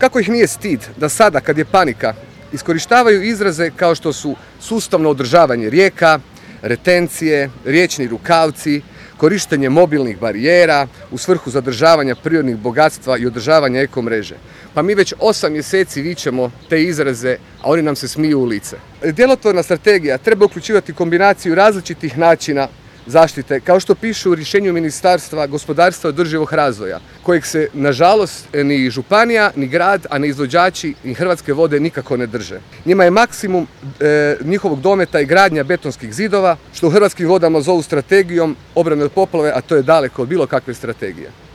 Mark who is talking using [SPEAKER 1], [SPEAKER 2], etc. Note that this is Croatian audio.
[SPEAKER 1] Kako ih nije stid da sada, kad je panika, iskorištavaju izraze kao što su sustavno održavanje rijeka, retencije, riječni rukavci, korištenje mobilnih barijera u svrhu zadržavanja prirodnih bogatstva i održavanja ekomreže. Pa mi već 8 mjeseci vičemo te izraze, a oni nam se smiju u lice. Djelotvorna strategija treba uključivati kombinaciju različitih načina zaštite, kao što piše u rješenju Ministarstva gospodarstva i održivog razvoja, kojeg se, nažalost, ni županija, ni grad, a ni izvođači, ni Hrvatske vode nikako ne drže. Njima je maksimum njihovog dometa i gradnja betonskih zidova, što u Hrvatskim vodama zovu strategijom obrane od poplave, a to je daleko od bilo kakve strategije.